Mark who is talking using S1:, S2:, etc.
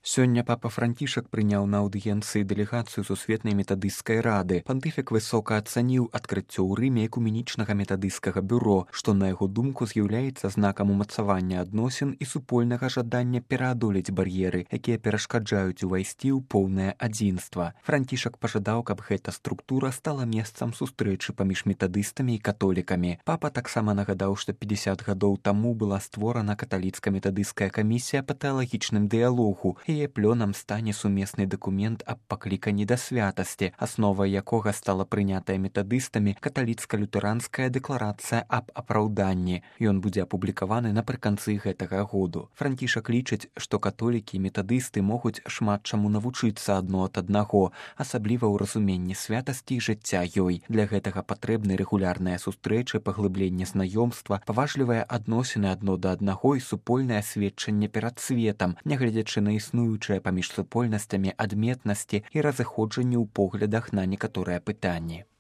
S1: Сёння папа Францішак прыняў на аўдыенцыі дэлегацыю сусветнай метадысцкай рады. Пантыфік высока ацаніў адкрыццё ў Рыме экуменічнага метадысцкага бюро, што на яго думку з'яўляецца знакам умацавання адносін і супольнага жадання пераадолець бар'еры, якія перашкаджаюць увайсці ў поўнае адзінства. Францішак пажадаў, каб гэта структура стала месцам сустрэчы паміж метадыстамі і католікамі. Папа таксама нагадаў, што 50 гадоў таму была створана каталіцка-метадысцкая камісія па тэалагічным дыялогу. Яе плёнам стане сумесны дакумент аб пакліканні да святасці, асновай якога стала прынятая метадыстамі каталіцка-лютэранская дэкларацыя аб апраўданні. Ён будзе апублікаваны напрыканцы гэтага году. Францішак лічыць, што католікі і метадысты могуць шмат чаму навучыцца адно ад аднаго, асабліва ў разуменні святасці і жыцця ёй. Для гэтага патрэбны рэгулярныя сустрэчы, паглыбленне знаёмства, паважлівыя адносіны адно да аднаго і супольнае сведчанне перад светам, нягледзячы на існуючыя паміж супольнасцямі адметнасці і разыходжанні ў поглядах на некаторыя пытанні.